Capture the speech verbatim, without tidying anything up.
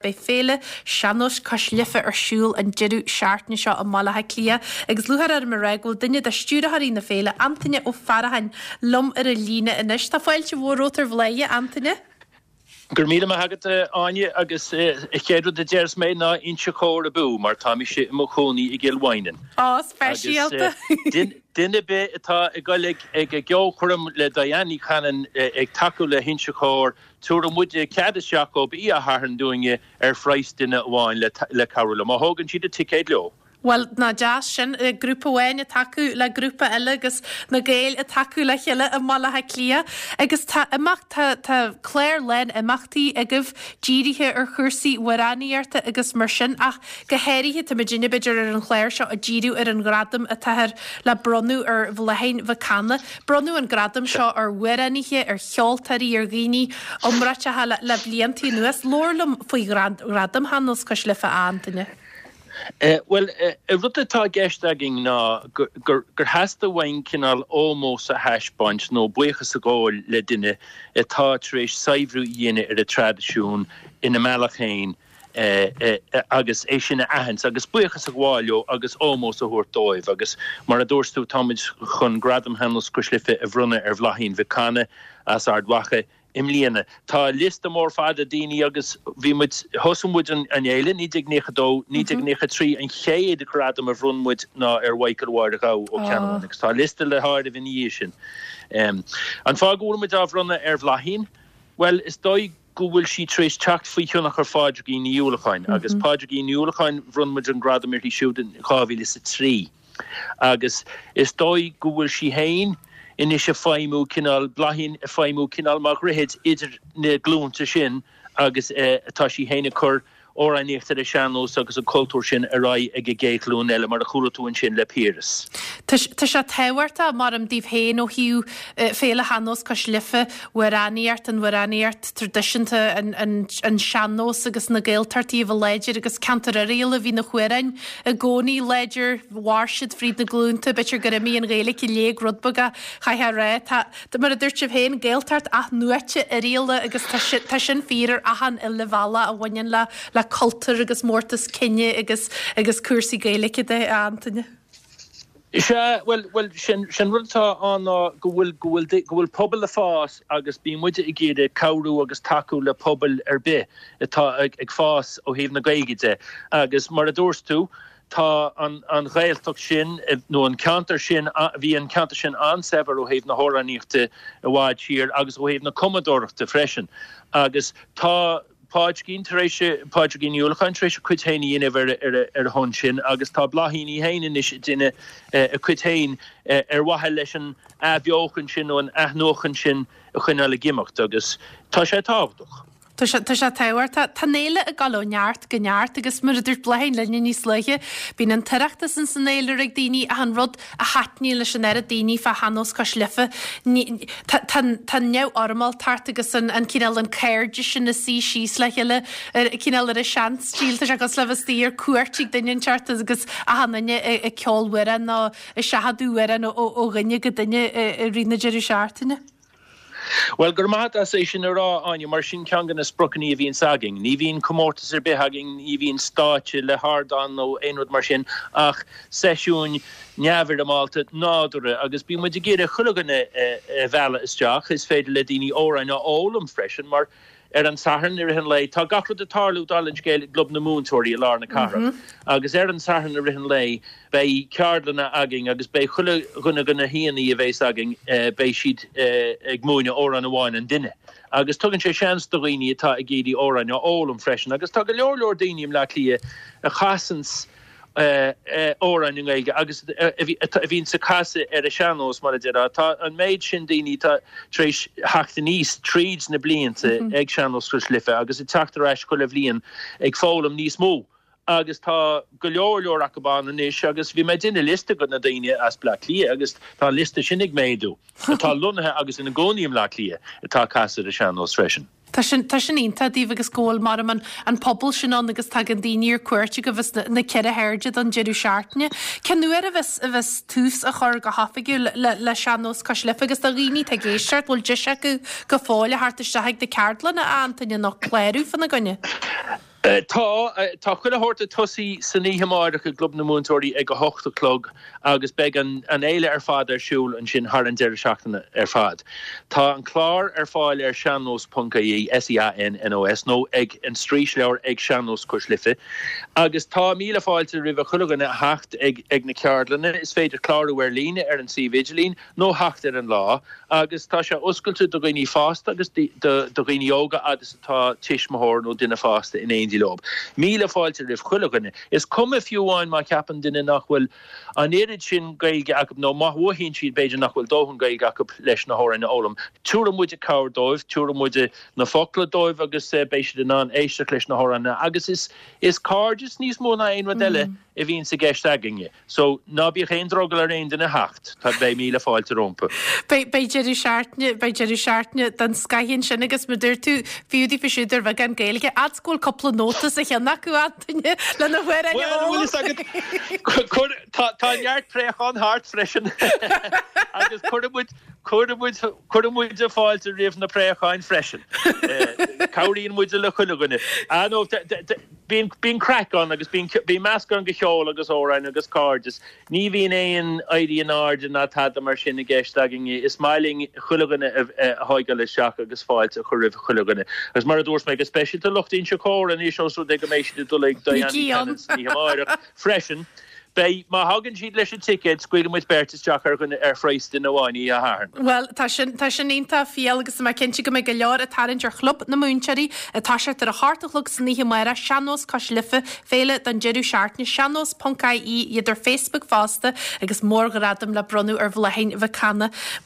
Beidh Féile Sean-Nóis Cois Life ar siúl an deireadh seachtaine seo i mBaile Átha Cliath agus lúcháir orm a rá go bhfuil duine de stiúrthóirí na féile, Antaine Ó Faracháin, liom ar an líne anois. Tá fáilte mhór romhat ar Bhláthnaid, a Antaine. Go raibh míle maith agat, a Áine, agus an chéad rud a déarfas mé ná Inse Chór abú, mar tá mise i mo chónaí i gCill Mhaighneann. Á, speisialta! Agus duine ar bith atá ag dul ag an gceolchoirm le Diane Ní Chanainn ag tacú le hInse Chór, Tabharfaidh muide cead isteach dhóibh Oíche Shathairn dúinne ar phraghas duine amháin le cabhrú leo, má thógann siad a ticéad leo. Bhuel, nach deas sin, grúpa amháin ag tacú le grúpa eile agus na Gaeil ag tacú le chéile i mBaile Átha Cliath. Agus tá imeacht, tá, tá clár lán imeachtaí agaibh dírithe ar chúrsaí amhránaíochta agus mar sin ach go háirithe tá muidinne b'fhéidir ar an chlár seo ag díriú ar an ghradam atáthar le bronnadh ar Bhláithín Mhic Cana. Bronnadh an gradam seo ar amhránaithe, ar cheoltóirí, ar dhaoine iomráiteacha le blianta anuas. Labhair liom faoi Ghradam Shean-Nós Cois Life, a Antaine. Bhuel, an rud atá i gceist againn ná gur theastaigh uainn cineál ómós a thaispeáint nó buíochas a ghabháil le duine atá tar éis saibhriú a dhéanamh ar an traidisiún ina mbealach féin agus é sin a aithint agus buíochas a ghabháil leo agus ómós a thabhairt dóibh. Agus mar a dúirt tú, táimid chun Gradam Shean-Nós Cois Life a bhronnadh ar Bhláithín Mhic Cana as Ard Mhacha i mbliana. Tá liosta mór fada daoine agus bhí muid, thosaigh muid an fhéile, naoi déag naocha dó, naoi déag naocha trí, an chéad ghradam a bhronn muid ná ar Mhichael Mháire Ghabha ó Ceannabháin agus tá liosta le háireamh ina dhiaidh sin. An fáth go bhfuil muid á bhronnadh ar Bhláithín? Bhuel, is dóigh go bhfuil sí tar éis teacht faoi thionchar Phádraigín Ní Uallacháin agus Pádraigín Ní Uallacháin, bhronn muid an gradam uirthi siúd in dhá mhíle is a trí agus is dóigh go bhfuil sí féin anois ag feidhmiú cineál, Bláithín ag feidhmiú cineál mar dhroichead idir na glúnta sin agus tá sí féin ag cur amhránaíocht ar an sean-nós agus an cultúr sin ar aghaidh ag an gcéad ghlúin eile, mar a chuala tú ansin le Piaras. Tá sé tábhachtach, maram daoibh féin ó thaobh Féile Shean-Nós Cois Life, amhránaíocht, an amhránaíocht traidisiúnta, an sean-nós agus na Gaeltachtaí a bheith láidir agus ceantar Oirialla, bhí na hamhráin i gcónaí láidir, mhair siad fríd na glúnta, b'fhéidir gur imigh an Ghaeilge i léig rud beag ach chaithfeá a rá, tá, Mar a dúirt sibh féin, Gaeltacht athnuaite Oirialla agus tá sin fíor ar achan uile bhealach a bhaineann le le cultúr agus mórtas cine agus agus cúrsaí Gaeilge de, a Antaine. Sea, bhuel, bhuel, sin sin rud atá ann ná go bhfuil go bhfuil go bhfuil pobal ag fás agus bíonn muide ag iarraidh cabhrú agus tacú le pobail ar bith atá ag ag fás ó thaobh na Gaeilge de agus mar a dúirt tú, Tá an Ghaeltacht sin, nó an ceantar sin, bhí an ceantar sin an-saibhir ó thaobh na hamhránaíochta i bhfad siar agus ó thaobh na cumadóireachta freisin. Agus tá Pádraigín tar éis, Pádraigín Ní Uallacháin tar éis a cuid féin a dhéanamh ar a shon sin agus tá Bláithín í féin anois ag déanamh a cuid féin ar mhaithe leis an athbheochan sin nó an athnuachan sin a choinneáil ag imeacht agus tá sé tábhachtach. Tá sé, tá sé tábhachtach. Tá an fhéile ag dul ó neart go neart agus mar a dúirt Bláithín linne níos luaithe, bíonn an tOireachtas ins an fhéilire ag daoine ach an rud a thaitníonn leis an oiread daoine fá Shean-Nós Cois Life, ní, tá, tá an, tá an neamhfhoirmeáltacht agus an, an cineál, an cairdeas sin ag suí síos le chéile ar, cineál ar an seanstíl, tá sé cosúil le bheith istigh ar cuairt ag duine inteacht agus achan duine ag, ag ceol amhrán nó ag seachadadh amhrán ó, ó dhuine go duine i, i rith na deireadh seachtaine. Bhuel, go raibh maith agat as é sin a rá, Áine, mar sin ceann de na spriocanna a bhíonns againn. Ní bhíonn comórtas ar bith againn, ní bhíonn stáitse le hardán nó aon rud mar sin ach seisiúin neamhfhoirmeálta, nádúrtha agus bíonn muid ag iarraidh chuile dhuine a mhealladh isteach. Is féidir le daoine amhráin a fhoghlaim freisin mar ar an Satharn i rith an lae, tá gach rud ag tarlú, dála an scéil, i gClub na Múinteoirí i lár na cathrach agus ar an Satharn i rith an lae beidh ceardlanna againn agus beidh chuile dhuine de na haíonna a bheas againn, beidh siad ag múineadh amhrán amháin an duine agus tugann sé seans do dhaoine atá ag iarraidh amhráin a fhoghlaim freisin agus tá go leor leor daoine i mBleá Cliath a chasanns amhráin i nGaeilge agus a bhíonns ag casadh ar an sean-nós, mar a déarfá. Tá an méid sin daoine atá tar éis theacht aníos tríd na blianta ag Sean-Nós Cois Life agus ag teacht ar ais chuile bhliain ag foghlaim níos mó agus tá go leor leor acu ann anois agus bhí mé ag déanamh liosta de na daoine as Bleá Cliath agus tá an liosta sin ag méadú atá lonnaithe agus ina gcónaí i mBleá Cliath atá ag casadh ar an sean-nós freisin. Tá sin, tá sin iontach daoibh agus go bhfuil mar an, an pobal sin ann agus tagann daoine ar cuairt chugaibh as na, na ceithre hairde don deireadh seachtaine. Cén uair a bheas, a bheas tús á chur go hoifigiúil le, le Sean-Nós Cois Life agus do dhaoine atá ag éisteacht, bhfuil deis acu go fóill a theacht isteach ag na ceardlanna, a Antaine, nó clárú fána gcoinne? Tá tá chuile shórt ag tosú san oíche amárach i gClub na Múinteoirí ag a hocht a chlog agus beidh an an fhéile ar fad ar siúl ansin thar an deireadh seachtaine ar fad. Tá an clár ar fáil ar seannos ponc ie, S E A N N O S, nó ag an Straoisleabhar ag Sean-Nós Cois Life. Agus tá míle fáilte roimh chuile dhuine a theacht ag ag na ceardlanna, is féidir clárú ar líne ar an suíomh idirlín nó theacht ar an lá agus tá sé oscailte do dhaoine fásta agus do dhaoine óga agus atá tuismitheoir nó duine fásta in éindí leo. Míle fáilte roimh chuile dhuine. Is cuma fiú amháin má cheapann duine nach bhfuil an oiread sin Gaeilge acu nó má mhothaíonn siad b'fhéidir nach bhfuil dóthain Gaeilge acu leis na hamhráin a fhoghlaim. Tabharfaidh muid cabhair dóibh, tabharfaidh muid na focla dóibh agus eh, beidh siad in ann éisteacht leis na hamhráin agus is is cairdeas níos mó ná aon rud eile mm. a bhíonn i gceist againne. So ná bíodh aon drogall ar aon duine theacht, tá beidh míle fáilte rompu. Beidh deireadh seachtaine beidh deireadh seachtaine den scoth ansin agus mar dúirt tú fiú daofa siúd ar bheagán Gaeilge, fhad go bhfuil cúpla nóta sa cheann acu Antaine lena Tá neart préachán thart freisin agus cuirimid cuirimid fáilte roimh na préacháin freisin. Cabhraíonn muid le chuile dhuine. Bíonn craic ann agus bíonn meascán de cheol agus amhráin agus cairdeas. Ní bhíonn aon éirí in airde ná tada mar sin i gceist againn is maith linn chuile dhuine a thógáil isteach agus fáilte a chur roimh chuile dhuine. Agus mar a dúirt mé go speisialta lucht Inse Chór anois ós rud é go mbeidh siad ag dul ag amárach freisin. Beidh má thagann siad leis an ticéad scaoilfidh muid beirt isteach ar dhuine ar phraghas duine amháin í a hairn. Well tá sin tá sin iontach fial agus má cinnte go mbeidh go leor ag tarraingt ar Chlub na Múinteoirí atá sé ar a hocht a chlog san oíche amárach Sean-Nós Cois Life féile don deireadh seachtaine seannos ponc ie iad ar Facebook fosta agus mórghradam le bronnadh ar Bhláithín Mhic Cana.